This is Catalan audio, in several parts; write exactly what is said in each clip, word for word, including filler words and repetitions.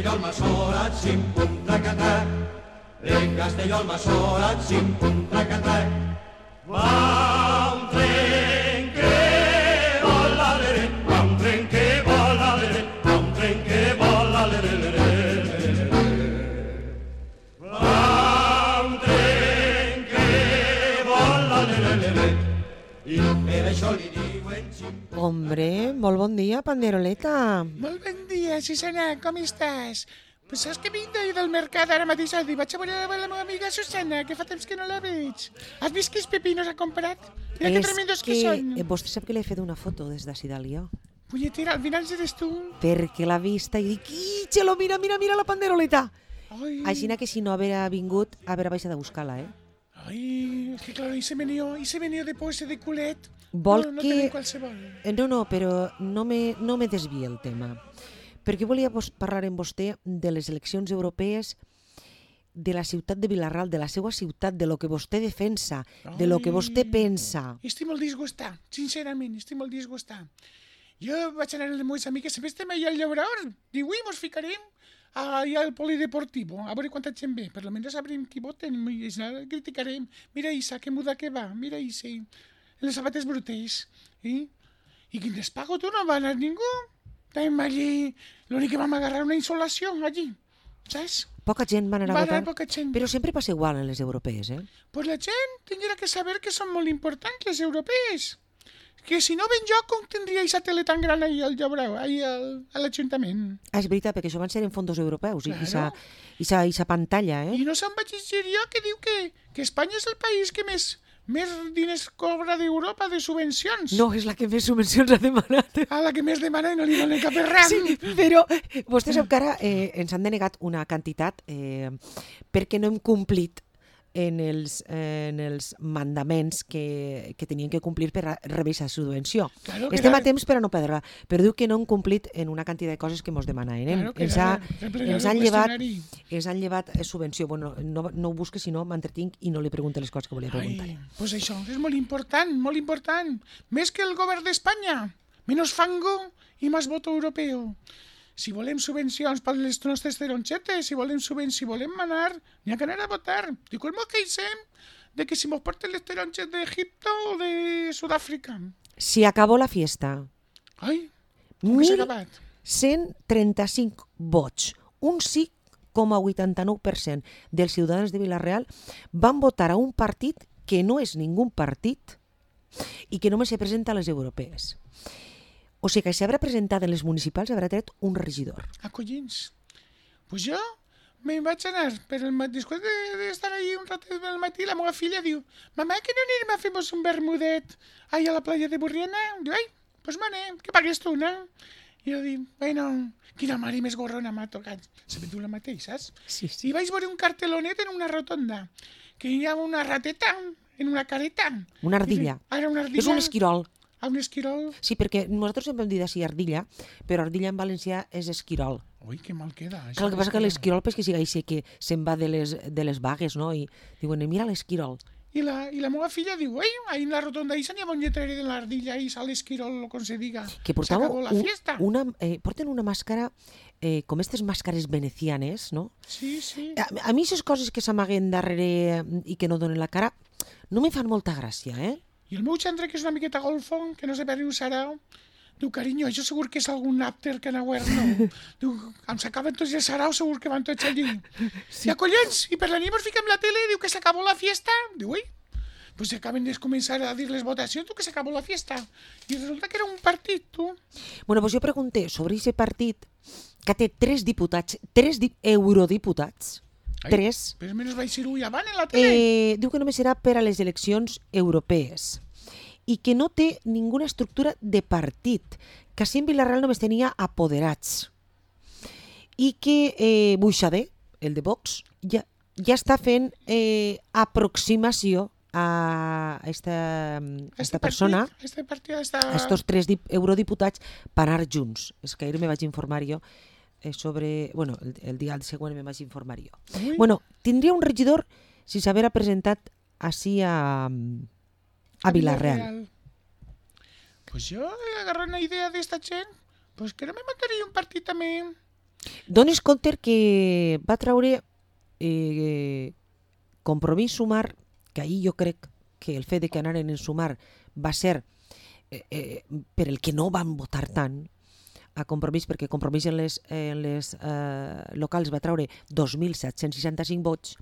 Castelló al Massorat, xim, pum, tracatac. En Castelló al Massorat, xim, pum, tracatac. Va un tren que vola, lere, va un tren que vola, lere, va un tren que vola, lere, lere, lere. Va un tren que vola, lere, lere. I per això li diuen xim. Hombre, molt bon dia, Panderoleta. Molt bon dia, Susana, com estàs? Pues saps que vinc d'ahir del mercat ara mateix i vaig a veure la meva amiga Susana, que fa temps que no la veig. Has vist quins pepinos ha comprat? Mira que tremendos que, que són. Eh, vostè sap que li he fet una foto des d'ací dalt jo. Punyetera, al final eres tu. Perquè l'ha vista i dic, ¡Ixelo, mira, mira, mira la Panderoleta! Ai, Així que si no haver vingut, haver baixat a buscar-la, eh? ai, és que claro, ese venido, ese venido de pose de culet. Vol no, no que... tenim qualsevol. Eh, No, no, però no me, no me desvia el tema. Perquè volia vos parlar amb vostè de les eleccions europees de la ciutat de Vilarral, de la seva ciutat, de lo que vostè defensa, de lo que vostè pensa. Estic molt disgustat, sincerament, estic molt disgustat. Jo vaig anar amb les meves amigues, sempre estem allà al llaurador. Diu, ui, mos ficarem allà al polideportivo, a veure quanta gent ve. Per almenys sabrem qui voten, i criticarem. Mira Isa, que muda que va, mira Isa, les sabates brutes. Eh? I quin despago tu no va anar ningú? Estàvem allí, l'únic que vam agarrar una insolació allí, saps? Poca gent va anar a Va votar, anar poca gent. però sempre passa igual en les europees, eh? Pues la gent tindria que saber que són molt importants les europees. Que si no ben jo, com tindria aquesta tele tan gran ahir al Llabrau, ahir al, a l'Ajuntament? Ah, és veritat, perquè això van ser en fondos europeus, i Claro. aquesta pantalla, eh? I no se'n vaig llegir jo que diu que, que Espanya és el país que més, més diners cobra d'Europa de subvencions. No, és la que més subvencions ha demanat. A la que més demana i no li donen cap ram. Sí, però vostè sap que ara eh, ens han denegat una quantitat eh, perquè no hem complit en els, eh, en els mandaments que, que tenien que complir per a rebre aquesta subvenció. Claro que Estem era- a temps per a no perdre-la, però diu que no hem complit en una quantitat de coses que ens demanen. Eh? Claro que ens, era ha, replegar ens, el han llevat, qüestionari. ens han llevat eh, subvenció. Bueno, no, no ho busque, si no m'entretinc i no li pregunto les coses que volia preguntar. Ai, pues això és molt important, molt important. Més que el govern d'Espanya. Menos fango i més voto europeu. Si volem subvencions per les nostres taronxetes, si volem subvencions, si volem anar, n'hi ha que anar a votar. Diu que mos queixem de que si mos porten les taronxes d'Egipte o de Sud-àfrica. Se acabó la fiesta. Ai, com que s'ha acabat? cent trenta-cinc vots, un cinc coma vuitanta-nou per cent dels ciutadans de Vila-real van votar a un partit que no és ningú partit i que només se presenta a les europees. O sigui que si haurà presentat en les municipals haurà tret un regidor. Acollins. Pues jo me'n vaig anar, però el mat... després d'estar de ahí un ratet del matí, la meva filla diu, mamà, que no anirem a fer-nos un bermudet ahí a la playa de Burriana? Diu, ai, pues manem, que pagues tu, no? I jo dic, bueno, quina mare més gorrona m'ha tocat. Sabem tu la mateix, saps? Sí, I vaig veure un cartelonet en una rotonda, que hi ha una rateta en una careta. Una ardilla. Ah, era una ardilla. És un esquirol. Ah, un esquirol. Sí, perquè nosaltres sempre hem dit així ardilla, però ardilla en valencià és esquirol. Ui, que mal queda. això Clar, el que passa que d'esquirol. l'esquirol pues, que siga així, que se'n va de les, de les vagues, no? I diuen, mira l'esquirol. I la, I la meva filla diu, ei, ahí en la rotonda ahí n'hi ha un lletrer de l'ardilla, ahí sale esquirol, com se diga. Que portava S'acabó la un, fiesta. una, eh, porten una màscara eh, com aquestes màscares venecianes, no? Sí, sí. A, a mi aquestes coses que s'amaguen darrere i que no donen la cara no me fan molta gràcia, eh? I el meu xandre, que és una miqueta golfo, que no sé per què ho serà, diu, carinyo, això segur que és algun àpter que anau no. Diu, em s'acaben tots els saraus, segur que van tots allí. Sí. I collons, i per la nit mos fiquem la tele, diu que s'acabó la fiesta. Diu, ui, pues se acaben de començar a dir les votacions, tu, que s'acabó la fiesta. I resulta que era un partit, tu. Bueno, pues jo pregunté sobre aquest partit que té tres diputats, tres di eurodiputats, Ai, tres, Però menys vaig ser-ho avant en la tele. eh, diu que només serà per a les eleccions europees i que no té ninguna estructura de partit, que així en Vilarreal només tenia apoderats i que eh, Buixader, el de Vox, ja, ja està fent eh, aproximació a esta, a esta persona, Partit, este partit, esta... a estos tres dip- eurodiputats, per anar junts. És que ahir me vaig informar jo eh, sobre... Bueno, el, el dia següent me vaig informar jo. Ui. Bueno, tindria un regidor si s'haguera presentat així a, a Vilarreal. Pues yo, agarré una idea de esta gent, pues que no me montaría un partit també Dones compte que va treure eh, Compromís Sumar, que ahir jo crec que el fet de que anaren en Sumar va ser eh, eh, per el que no van votar tant a Compromís, perquè Compromís en les, en les eh, locals va treure dos mil set-cents seixanta-cinc vots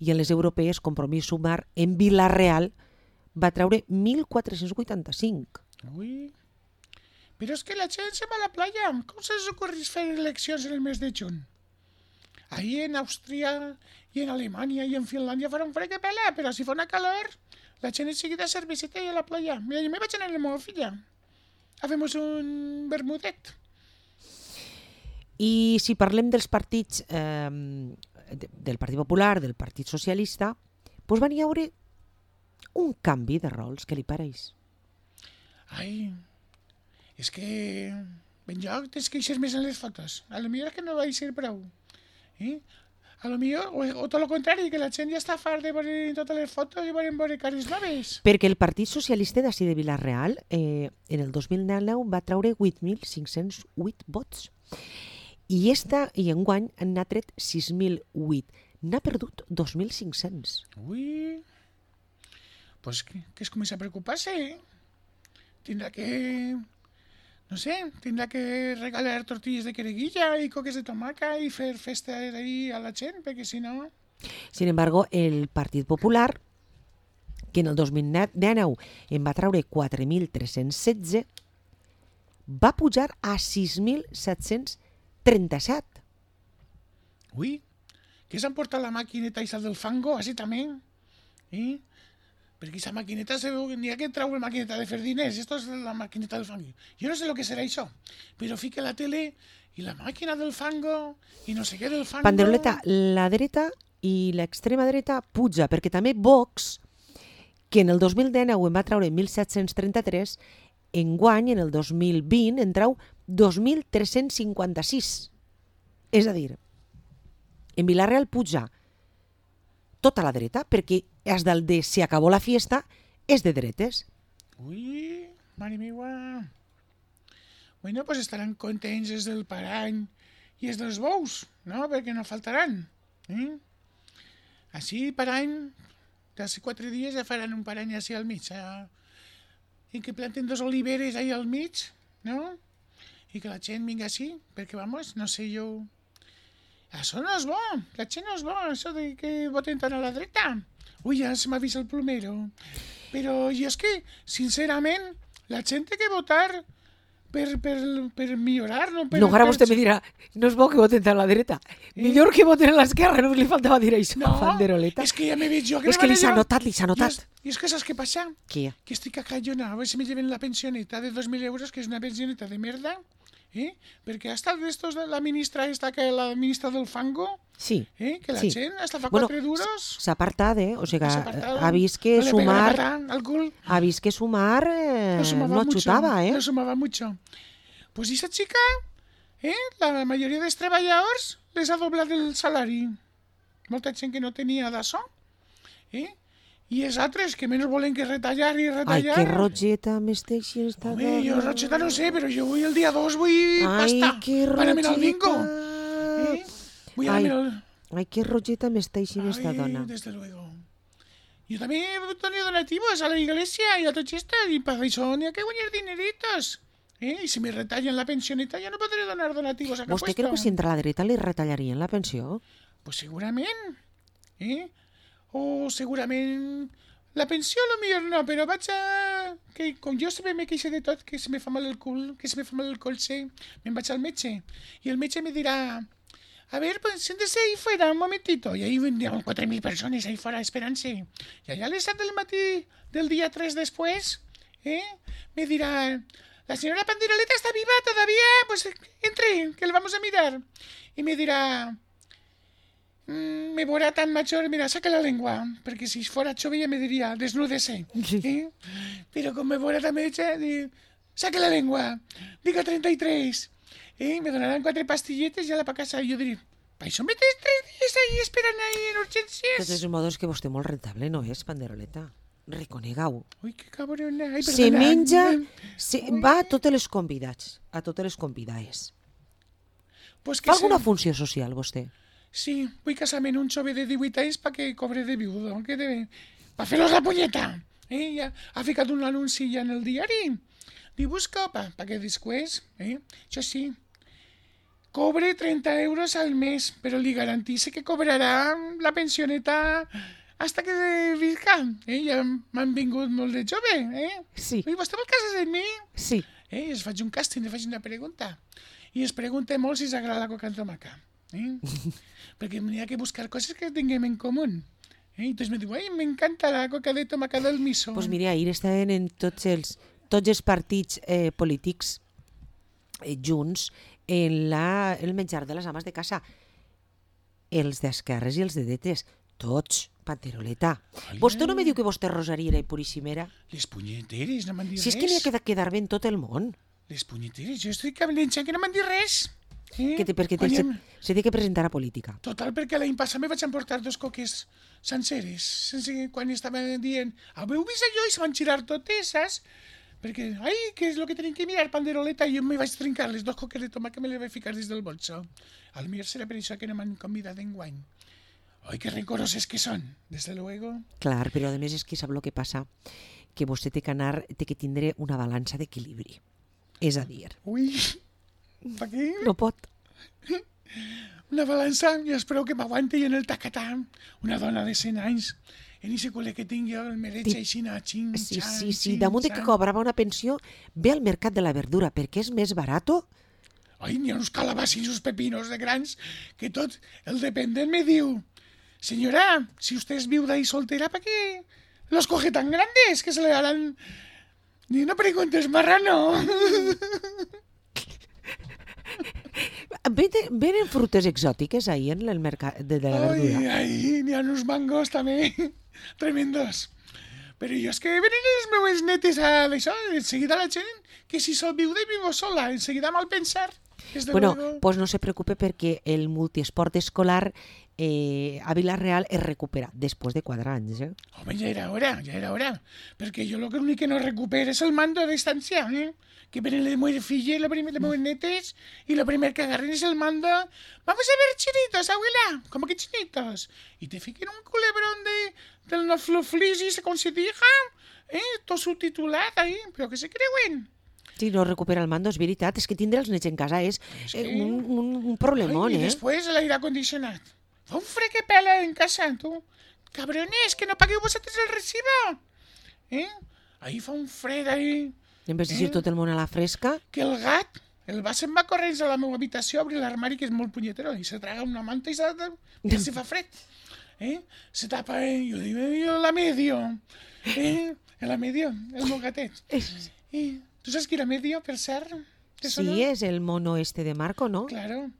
i en les europees Compromís Sumar en Vila-real va treure mil quatre-cents vuitanta-cinc. Ui. Però és que la gent se va a la playa. Com se les ocorrís fer eleccions en el mes de juny? Ahí en Àustria i en Alemanya i en Finlàndia farà un fred que pela, però si fa una calor, la gent és seguida cerveceta i a la playa. Mira, jo me vaig anar amb la meva filla. Hacemos un bermudet. I si parlem dels partits, eh, del Partit Popular, del Partit Socialista, doncs van hi haure un canvi de rols, què li pareix? Ai, és que ben lloc tens queixes més en les fotos. A lo millor és que no vaig ser prou. Eh? A lo millor, o, o tot el contrari, que la gent ja està fart de veure totes les fotos i volen veure cares noves. Perquè el Partit Socialista d'ací de Vila-real eh, en el dos mil nou va treure vuit mil cinc-cents vuit vots. I esta, i enguany n'ha tret sis mil vuit. N'ha perdut dos mil cinc-cents. Ui, pues que, que es comença a preocupar-se, eh? Tindrà que, no sé, tindrà que regalar tortilles de quereguilla i coques de tomaca i fer festa ahí a la gent, perquè si no... Sin embargo, el Partit Popular, que en el dos mil nou en va treure quatre mil tres-cents setze, va pujar a sis mil set-cents trenta-set. Ui, que s'han portat la maquineta esa del fango, així també. Eh? Perquè esa maquineta se veu que n'hi ha que trau la maquineta de fer diners. Esto es la maquineta del fango. Jo no sé lo que serà això, però fica la tele i la màquina del fango i no sé què del fango. Panderoleta, la dreta i l'extrema dreta puja, perquè també Vox, que en el dos mil nou en va treure mil set-cents trenta-tres, enguany, en el dos mil vint, en trau dos mil tres-cents cinquanta-sis. És a dir, en Vila-real puja tota la dreta, perquè és del de se acabó la fiesta, és de dretes. Ui, mare meua. Bueno, pues estaran contents els del parany i els dels bous, no? Perquè no faltaran. Eh? Així, parany, d'aquí quatre dies ja faran un parany així al mig, a... i que planten dos oliveres ahí al mig, no? I que la gent vinga així, perquè, vamos, no sé jo... Això no és bo, la gent no és bo, això de que voten tant a la dreta. Ui, ja se m'ha vist el plomero. Però jo és que, sincerament, la gent té que votar per, per, per millorar, no per... No, ara per... vostè me dirà, no és bo que voten a la dreta. Eh? Millor que voten a l'esquerra, no li faltava dir això, no, Panderoleta. És que ja m'he vist jo. Que és que li s'ha notat, li s'ha notat. I és que saps què passa? Què? Que estic a callona, a veure si me lleven la pensioneta de dos mil euros, que és una pensioneta de merda. Eh? Perquè ha estat d'estos de la ministra esta, que la ministra del fango, sí, eh? Que la sí. gent hasta fa bueno, quatre duros. S'ha apartat, eh? O sigui, apartado, ha vist que no Sumar... Al cul. Ha vist que Sumar eh, no, no achutava, eh? No sumava mucho. Pues esa chica, eh? La majoria dels treballadors les ha doblat el salari. Molta gent que no tenia d'això, eh? I els altres que menys volen que retallar i retallar. Ai, que rotgeta m'esteix esta dona. Home, jo rotgeta no sé, però jo vull el dia dos, vull pasta. Ai, que rotgeta. Para mirar el bingo. Eh? Vull ai, mirar el... ai, que rotgeta m'esteix esta dona. Desde luego. Yo también he tenido donativos a la iglesia y a todo esto, y para eso ni hay que guanyar dineritos. Eh? Y si me retallan la pensioneta ya no podré donar donativos a cap Vostè creu que si entra a la dreta li retallarien la pensió? Pues segurament. Eh? O segurament la pensió a lo millor no, però vaig a... que com jo sempre me queixo de tot, que se me fa mal el cul, que se me fa mal el colze, me'n vaig al metge. I el metge me dirà, a ver, pues siéntese ahí fuera un momentito. Y ahí vendrían cuatro mil personas ahí fuera esperándose. Y allá a les set del matí del día tres después, ¿eh? Me dirá, la señora Panderoleta está viva todavía, pues entre, que le vamos a mirar. Y me dirá... me veurà tan major, mira, saca la lengua, perquè si fora jove ja me diria, desnúdese. Sí. Eh? Però com me veurà tan metge, diu, saca la lengua, diga trenta y tres. Eh? Me donaran quatre pastilletes i ja la pa casa. I jo diré, pa això me tens tres dies ahí esperant ahí en urgències. De todos modos que vostè molt rentable no és, Panderoleta. Reconegau. Ui, que cabrona. Ai, se perdona. menja, se, va a totes les convidats, a totes les convidades. Pues Fa que alguna se... funció social, vostè? Sí, vull casar-me en un jove de divuit anys perquè cobre de viudo, que de... pa fer-los la punyeta. Eh? Ja ha ficat un anunci ja en el diari. Li busco pa, pa que després, eh? Això sí, cobre trenta euros al mes, però li garantice que cobrarà la pensioneta hasta que visca. Eh? Ja m'han vingut molt de jove, eh? Sí. I vostè vol casar amb mi? Sí. Eh? Es faig un càsting, li faig una pregunta. I es pregunta molt si s'agrada la coca amb tomaca. Eh? Perquè n'hi ha que buscar coses que tinguem en comú. Eh? Entonces me diu, ai, m'encanta la coca de tomaca del miso. Pues mira, ahir estaven en tots els, tots els partits eh, polítics eh, junts en la, el menjar de les ames de casa. Els d'esquerres i els de dretes. Tots, panteroleta. Ai, Vostè no ai. me diu que vostè rosariera i puríssimera? Les punyeteres, no m'han dit Si és res. que n'hi ha que quedar bé en tot el món. Les punyeteres, jo estic cabelenxant que no m'han dit res. Eh? Que té, perquè té, Quan se, hem- se té que presentar a política. Total, perquè l'any passat me vaig emportar dos coques senceres, sense que quan estaven dient, haveu vist allò? I se van girar totes, saps? Perquè, ai, què és el que tenim que mirar, panderoleta? I jo me vaig trincar les dos coques de tomàquet, me les vaig ficar des del bolso. Al millor serà per això que no m'han convidat enguany. Ai, que rencoroses que són, des de luego. Clar, però a més és que sap el que passa, que vostè té que anar, té que tindre una balança d'equilibri. És a dir, Ui, pa què? no pot. Una balança, i espero que m'aguanti en el tacatà. Una dona de cent anys, en ese col·le que tinc jo, el mereig Tip- així, xin, Sí, xan, sí, sí. xin, Damunt de que xan. cobrava una pensió, ve al mercat de la verdura perquè és més barato. Ai, n'hi ha uns calabassos i uns pepinos de grans que tot el dependent me diu, señora, si usted es viuda y soltera, ¿para qué los coge tan grandes que se le harán? Ni no preguntes, marrano. Venen, venen frutes exòtiques ahir en el mercat de, de la Ai, verdura. ai, n'hi ha uns mangos també, tremendos. Però jo és que venen les meues netes a d'això, en seguida la gent, que si sol viuda i vivo sola, en seguida mal pensar. Desde Bueno, luego. pues no se preocupe perquè el multiesport escolar eh, a Vila-real es recupera després de quatre anys. Eh? Home, ja era hora, ja era hora. Perquè jo lo que l'únic que no recupero és el mando a distància, eh? Que venen les meves filles, les meves les netes, i lo primer que agarren és el mando. Vamos a ver chinitos, abuela. ¿Cómo que chinitos? Y te fiquen un culebrón de, del no fluflis y se considija, eh? Tot subtitulat ahí, però que se creuen. Si no recupera el mando, és veritat. És que tindre els nets en casa és És eh, que- un, un, un problemón, Ai, I eh? després l'aire acondicionat. Fa un fred que pela en casa, tu. Cabrones, que no pagueu vosaltres el recibo. Eh? Ahí fa un fred, ahí. En vez de dir Eh? tot el món a la fresca, Que el gat, el va se'n va corrents a la meva habitació, obri l'armari, que és molt punyetero, i se traga una manta i se, i se fa fred. Eh? Se tapa, eh? Jo dic, jo la medio. Eh? La medio, el meu gatet. és, I tu saps qui era medio, per cert? Te sona? sí, és el mono este de Marco, no? Claro.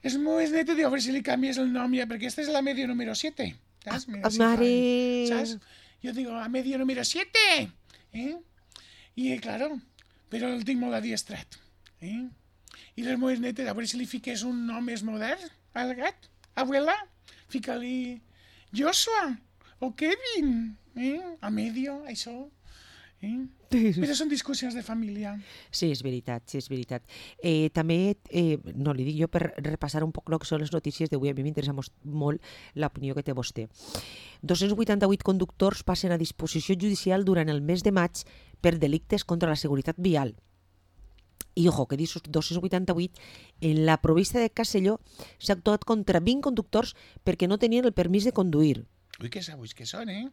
És molt net de dir, a veure si li canvies el nom ja, perquè esta és la medio número siete. ¿Sabes? Mira, Ah, si fa- mare. ¿Sabes? Yo digo, a medio número siete. ¿Eh? I, eh, claro, però el tinc molt adiestrat. Eh? I les meves netes, a veure si li fiques un nom més modern al gat. Abuela, fica-li Joshua o Kevin. Eh? A medio, això. Eh? Però són discussions de família. Sí, és veritat, sí, és veritat. Eh, també, eh, no, li dic jo per repassar un poc el que són les notícies d'avui, a mi m'interessa mos- molt l'opinió que té vostè. dos-cents vuitanta-vuit conductors passen a disposició judicial durant el mes de maig per delictes contra la seguretat vial. I, ojo, que dius dos-cents vuitanta-vuit, en la província de Castelló s'ha actuat contra vint conductors perquè no tenien el permís de conduir. Ui, que sabuis que són, eh?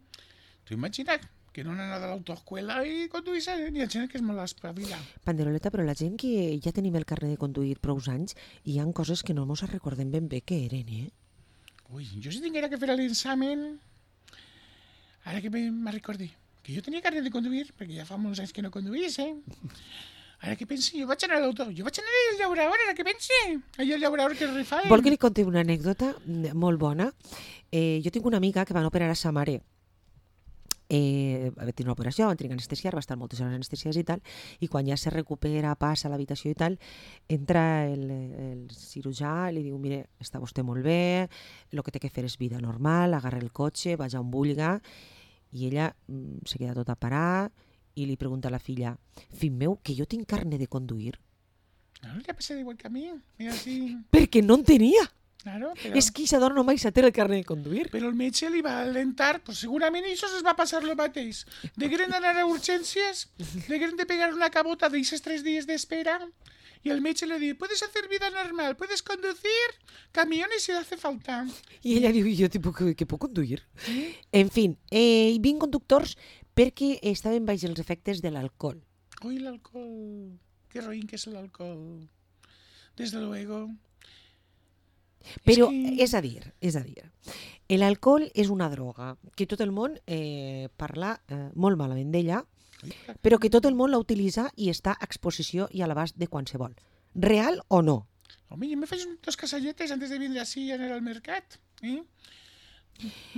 Tu imagina't que no han anat a l'autoescuela i conduïssin. Hi ha gent que és molt espavila. Panderoleta, però la gent que ja tenim el carnet de conduir prou anys, hi ha coses que no mos recordem ben bé que eren, eh? Ui, jo si tinguera que fer l'examen... Ara que me, me recordi, que jo tenia carnet de conduir, perquè ja fa molts anys que no conduís, eh? Ara que pensi, jo vaig anar a l'auto, jo vaig anar al llaurador, ara que pensi. Allà al llaurador que rifaven. Vol que li conti una anècdota molt bona? Eh, jo tinc una amiga que van operar a sa mare. Eh, va tenir una operació, van tenir que anestesiar, va estar moltes hores anestesiades i tal, i quan ja se recupera, passa a l'habitació i tal, entra el, el cirurgià i li diu, mire, està vostè molt bé, el que té que fer és vida normal, agarra el cotxe, vaja on vulga, i ella mm, se queda tota a parar i li pregunta a la filla, fill meu, que jo tinc carnet de conduir? No, le ha pasado igual que a mí. Mira, así... Perquè no en tenia. Claro, pero... És que Isadora no mai s'ha té el carnet de conduir. Però el metge li va alentar, pues segurament això es va passar lo mateix. De gran anar a urgències, de gran de pegar una cabota d'eixes tres dies d'espera, y el metge le diu, puedes hacer vida normal, puedes conducir camiones si hace falta. I ella diu, jo tipo, que, que puc conduir? Sí. En fin, eh, vint conductors perquè estaven baix els efectes de l'alcohol. Uy, el alcohol. Qué roín que es el alcohol. Desde luego. Però, que... és a dir, és a dir, l'alcohol és una droga que tot el món eh, parla eh, molt malament d'ella, però que tot el món la utilitza i està a exposició i a l'abast de qualsevol. Real o no? Home, jo me faig dos casalletes antes de vindre així a anar al mercat. Eh?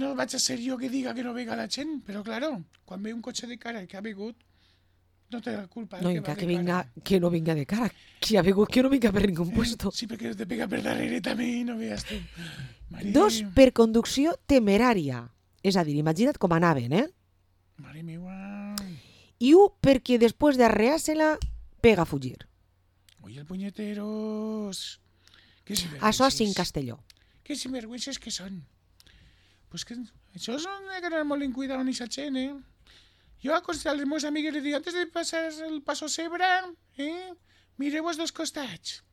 No vaig a ser jo que diga que no vega la gent, però claro, quan ve un cotxe de cara que ha begut, no té la culpa. No, que, encara que, que, vinga, que no vinga de cara, que ha begut que no vinga per ningú puesto. Sí, perquè te pega per darrere també, no veas tu. Mare... Dos, per conducció temerària. És a dir, imagina't com anaven, eh? Mare meua... I un, perquè després d'arrear-se-la, pega a fugir. Ui, el puñeteros... Que Això és en Castelló. Que sinvergüences que són. Pues que això és una que anar molt en cuidado en aquesta gent, eh? Jo aconsell als meus amics li dic, antes de passar el passo Cebre, eh, mireu els dos costats,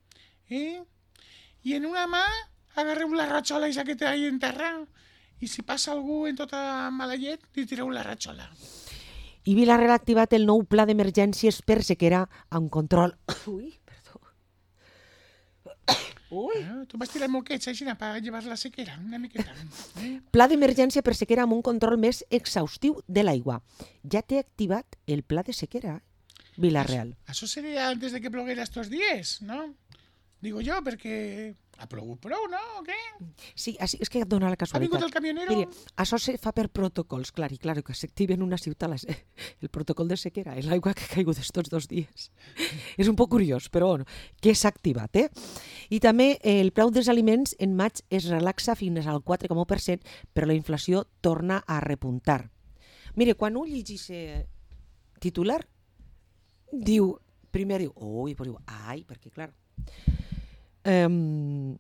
eh, i en una mà agarreu la ratxola aquesta que té ahí en terra, i si passa algú en tota mala llet, li tireu la ratxola. I Vila-real ha activat el nou pla d'emergències per sequera amb control... Ui, perdó. Ui. Ah, tu vas tirar moquets així per llevar la sequera, una miqueta. Eh? Pla d'emergència per sequera amb un control més exhaustiu de l'aigua. Ja té activat el pla de sequera, Vila-real. Això seria antes de que ploguera estos días, ¿no? Digo jo, perquè ha plogut prou, no? O què? Sí, així, és que et dona la Ha casualitat. vingut el camionero? Mira, això se fa per protocols, clar, i clar, que s'activa en una ciutat la, el protocol de sequera, l'aigua que ha caigut estos dos dies. És un poc curiós, però bueno, que s'ha activat, eh? I també eh, el preu dels aliments en maig es relaxa fins al quatre coma u per cent, però la inflació torna a repuntar. Mire, quan un llegís eh, titular, diu, primer diu, ui, però diu, ai, perquè clar... Um,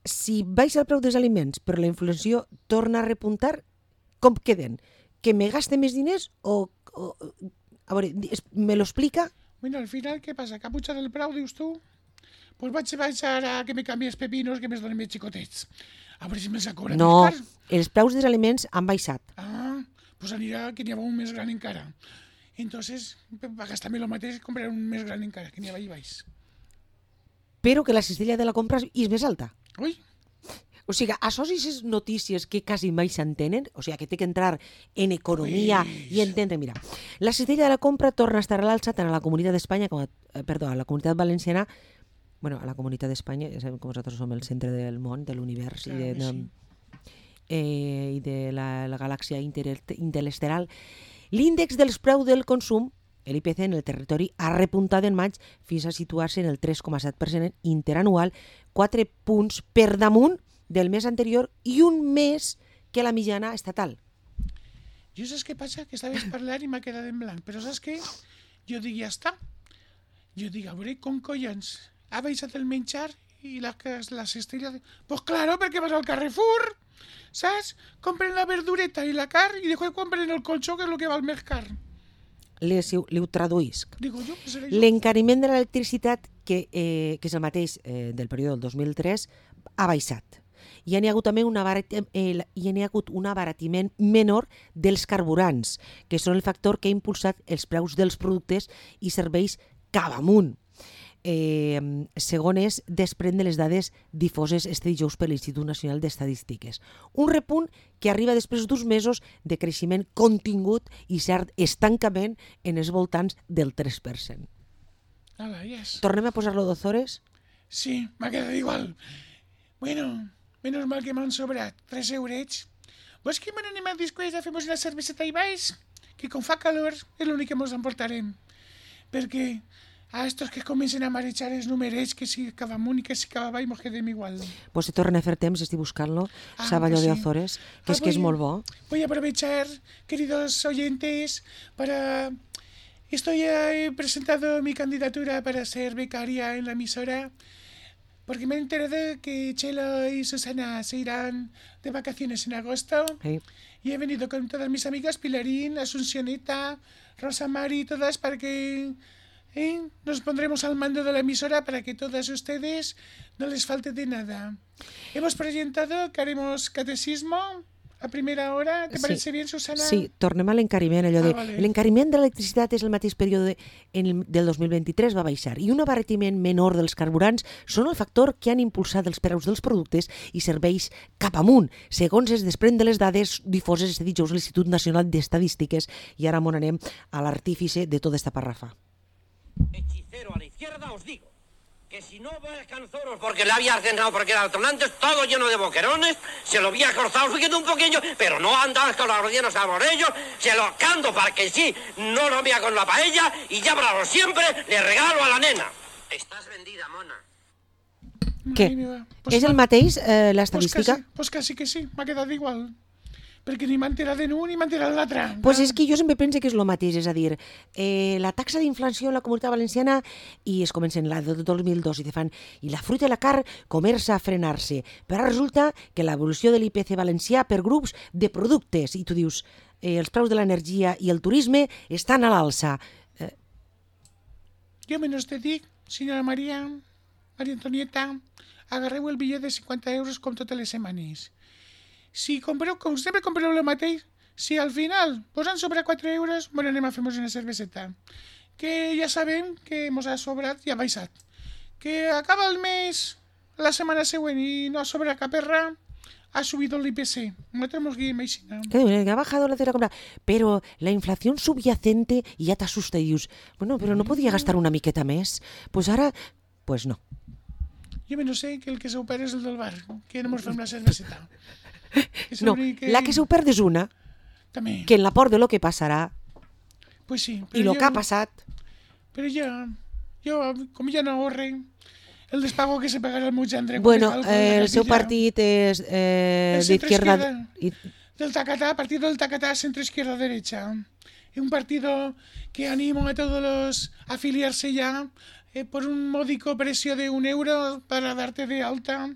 si baixa el preu dels aliments però la inflació torna a repuntar, com queden? Que me gaste més diners o... o a veure, me lo explica? Bueno, al final, què passa? Que ha pujat el preu, dius tu? Pues vaig baixar a que me canvi els pepinos que me'ls donen més xicotets. A veure si me'ls cobra no, més car. Els preus dels aliments han baixat. Ah, pues anirà que n'hi ha un més gran encara. Entonces, per gastar-me el mateix, comprar un més gran encara, que n'hi ha allà baix. Però que la cistella de la compra és més alta. Ui. O sigui, això sí és notícies que quasi mai s'entenen, o sigui, que té que entrar en economia Uis. I entendre. Mira, la cistella de la compra torna a estar a l'alça tant a la Comunitat d'Espanya com a, eh, perdó, a la Comunitat Valenciana, bueno, a la Comunitat d'Espanya, ja sabem que nosaltres som el centre del món, de l'univers claro, i de, de, sí. eh, i de la, la galàxia interesteral. L'índex dels preus del consum, l'I P C en el territori, ha repuntat en maig fins a situar-se en el tres coma set per cent interanual, quatre punts per damunt del mes anterior i un més que la mitjana estatal. Jo saps què passa? Que estaves parlant i m'ha quedat en blanc, però saps què? Jo dic, ja està. Jo dic, a veure, com collons ha baixat el menjar i la, la cistella... De... Pues claro, perquè vas al Carrefour, saps? Compren la verdureta i la carn i després compren el colxó, que és el que val més car. Li ho traduïsc. Digo jo, que seré jo. L'encariment de l'electricitat, que, eh, que és el mateix eh, del període del dos mil tres, ha baixat. I hi ha hagut també un, abarat, eh, hi ha hagut un abaratiment menor dels carburants, que són el factor que ha impulsat els preus dels productes i serveis cap amunt. Eh, segons desprèn de les dades difoses este dijous per l'Institut Nacional d'Estadístiques. Un repunt que arriba després d'uns mesos de creixement contingut i cert estancament en els voltants del tres per cent. Hola, yes. Tornem a posar-lo d'Ozores? Sí, m'ha quedat igual. Bueno, menos mal que m'han sobrat tres eurets. Vols que m'anem a després a fer una cerveseta i baix? Que com fa calor és l'únic que mos emportarem. Perquè a estos que comencen a marejar els numerets, que si cap amunt i que si cap avall, mos quedem igual. Pues se torna a fer temps, estic buscant-lo, ah, Saballó pues sí. de Azores, que ah, és que és molt bo. Voy a aprovechar, queridos oyentes, para Estoy, he presentado mi candidatura para ser becaria en la emisora porque me he enterado que Chelo y Susana se irán de vacaciones en agosto Sí. y he venido con todas mis amigas, Pilarín, Asuncioneta, Rosa Mari, todas para que ¿eh? nos pondremos al mando de la emisora para que todas ustedes no les falte de nada. Hemos presentado que haremos catecismo a primera hora. ¿Te Sí. parece bien, Susana? Sí, tornem a l'encariment, allò de... Ah, vale. L'encariment de l'electricitat és el mateix període en el, del dos mil vint-i-tres va baixar i un abaratiment menor dels carburants són el factor que han impulsat els preus dels productes i serveis cap amunt, segons es desprèn de les dades difoses este dijous a l'Institut Nacional d'Estadístiques. I ara m'on anem a l'artífice de tota esta parrafa. Hechicero a la izquierda, os digo que si no va a canzoros porque le había cenado porque era antes, todo lleno de boquerones, se lo había cortado subiendo un poquillo, pero no andas con los rellenos saboreos, se lo canto para que sí, no lo vea con la paella y ya para lo siempre le regalo a la nena. Estás vendida, mona. Què? Madre meva. Pues És el va- mateix, eh, Pues l'estadística? quasi, pues quasi que sí, m'ha quedat igual. Perquè ni m'ha enterat de un ni m'ha enterat de l'altre. Pues és que jo sempre pense que és el mateix, és a dir, eh, la taxa d'inflació en la Comunitat Valenciana i es comencen la de dos mil dos i te fan i la fruita i la carn comença a frenar-se, però ara resulta que l'evolució de l'I P C valencià per grups de productes i tu dius eh, els preus de l'energia i el turisme estan a l'alça. Eh, Jo menys te dic, senyora Maria, Maria Antonieta, agarreu el bitllet de cinquanta euros com totes les setmanes. Si compreu, com sempre compreu el mateix, si al final posen sobre quatre euros, bueno, anem a fer-nos una cerveseta. Que ja sabem que mos ha sobrat i ha baixat. Que acaba el mes, la setmana següent i no ha sobrat cap erra, ha subido el I P C. Nosaltres mos guiem així, no? que diuen que ha bajado la cera compra, però la inflació subyacente ja t'assusta i dius, bueno, però no podia gastar una miqueta més? Pues ara, pues no. Jo me no sé que el que s'opera és el del bar, que no mos fem la cerveseta. Que és No, l'únic la que s'ho perd és una, També. que en la por de lo que passarà Pues sí. i lo que ha passat. Pero yo, yo, como ya no ahorre, el despago que se pagará al Muchandre. Bueno, eh, el seu partit és eh, El centre d'izquierda... izquierda. Del Tacatá, partido del Tacatá, centro izquierda derecha. Es un partido que animo a todos los a afiliarse ya eh, por un módico precio de un euro para darte de alta.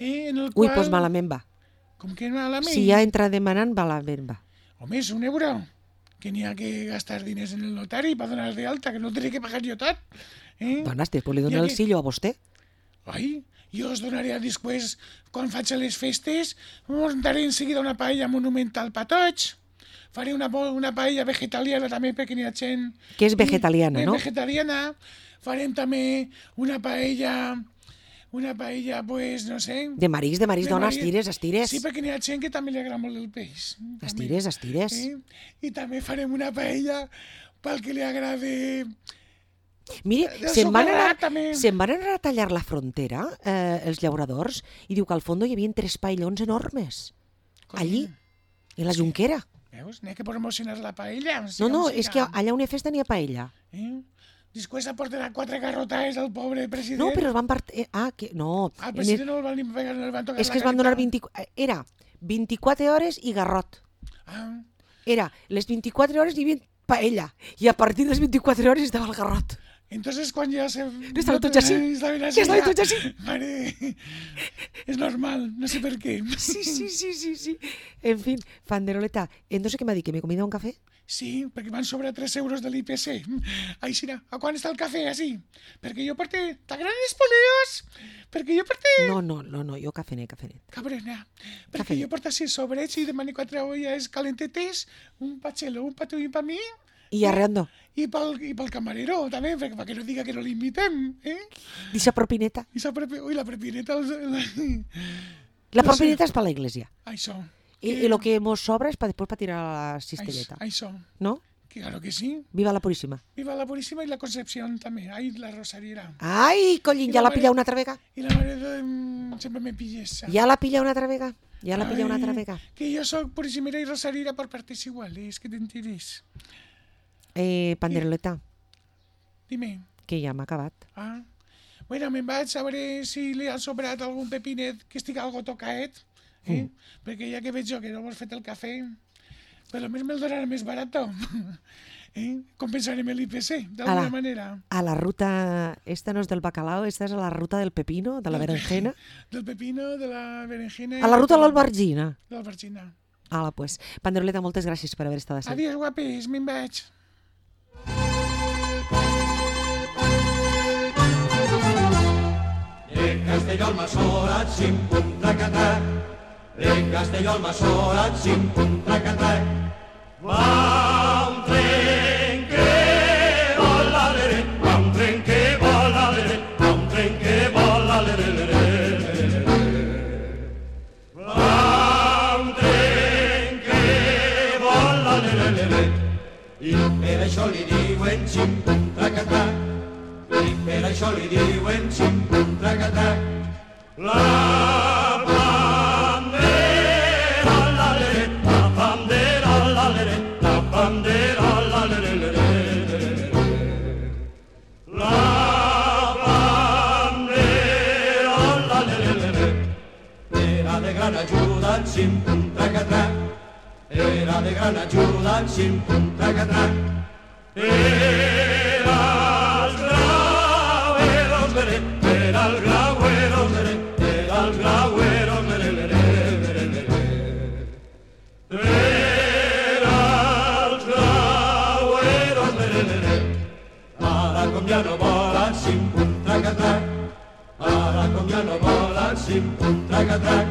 Eh, en el Ui, cual, doncs malament va. Com que malament? Si ja entra demanant, malament va. Home, és un euro. Que n'hi ha que gastar diners en el notari per donar de alta, que no tindré que pagar jo tot. Eh? Dones, després li Ja dono el que- sillo a vostè. Ai, jo us donaré després, quan faig les festes, muntaré en seguida una paella monumental per tots. Faré una, bo- una paella vegetariana també perquè n'hi ha gent... Que és vegetariana, Eh, no? Vegetariana. Farem també una paella... Una paella, pues, no sé... De marís, de marís, de dona, marisc. estires, estires. Sí, perquè n'hi ha gent que també li agrada molt el peix. També. Estires, estires. Eh? I també farem una paella pel que li agrade... Mire, El se'n van, sucarrat, anar, també. se'n van anar a tallar la frontera, eh, els llauradors, i diu que al fons hi havia tres paellons enormes. Allí, en la Junquera. Veus? N'hi ha que promocionar la paella. No, no, és que allà on hi ha festa n'hi ha paella. Eh? Després aportarà quatre garrotades al pobre president. No, però es van part... eh, Ah, que... No. Al en president el- no el van ni pegar, no el van tocar És que es la van donar careta. vint... Era vint-i-quatre hores i garrot. Ah, Era les vint-i-quatre hores hi havia paella. I a partir de les vint-i-quatre hores estava el garrot. entonces quan ja se... No estaven tots així. Estaven Que estaven ja. tots així. Mare, és normal, no sé per què. Sí, sí, sí, sí, sí. En fin, Fanderoleta, entonces què m'ha dit? ¿Que me he comido un café? Sí, perquè van sobre tres euros de l'I P C. Així, a quan està el cafè, així? Perquè jo porté... T'agraden els poleos? Perquè jo porté... No, no, no, no, jo cafenet, cafenet. Cabrona, perquè Cafè. jo porto sis sobrets i demano quatre olles calentetes, un pachelo, un patuí per mi I arreando. i pel, i pel camarero també, perquè, perquè no diga que no l'invitem, eh? Dice propineta. I la, propi, ui, la propineta... Els, la, La No sé. propineta és per la iglesia. això. I, i lo que mos sobra és para después para tirar a la cistelleta. Això, ¿No? que claro que sí. Viva la Purísima. Viva la Purísima i la Concepción també. Ai, la Rosariera. Ai, collín, I ja la la pilla mare- una altra vega. I la mare de... mm, sempre me pillessa. Ja la pilla una altra vega. Ja la pilla una altra vega. Que jo soc Purísimera i Rosariera per partes iguales, que t'enteres. Eh, Panderoleta, Dime. que ja m'ha acabat. Ah. Bueno, me'n vaig a veure si li ha sobrat algun pepinet que estigui algo tocaet, eh? Mm. Perquè ja que veig jo que no m'has fet el cafè, per lo menos me'l donarà més barat. Eh? Compensarem l'I P C, A d'alguna la- manera. A la ruta, esta no és del bacalao, esta és a la ruta del pepino, de la berenjena. Del pepino, de la berenjena... A la ruta de l'albergina. De l'albergina. Ala, pues. Panderoleta, moltes gràcies per haver estat així. Adiós, guapis, me'n vaig. De Castelló al Massorat, xim-pum, traca-trac. De Castelló al Massorat, xim-pum, traca-trac. Va un tren que vola, lere, va un tren que vola, lere, va un tren que vola, lere, lere, lere. Va un tren que vola, lere, lere. I per això li diuen xim-pum, traca-trac. I per això li diuen xim-pum, traca-trac. La bandera, la lere, la bandera, la lere, la bandera, la lere, lere, lere. La bandera, la lere, lere. Era de gran ajuda en xim-pum, traca-trac. Era de gran ajuda en xim-pum, traca-trac. Era els graueros, lere, era els graueros, lere, era els graueros, lere, lere, lere, lere. Era els graueros, lere, lere. Ara com ja no volen, xim-pum, traca-trac. Ara com ja no volen, xim-pum, traca-trac.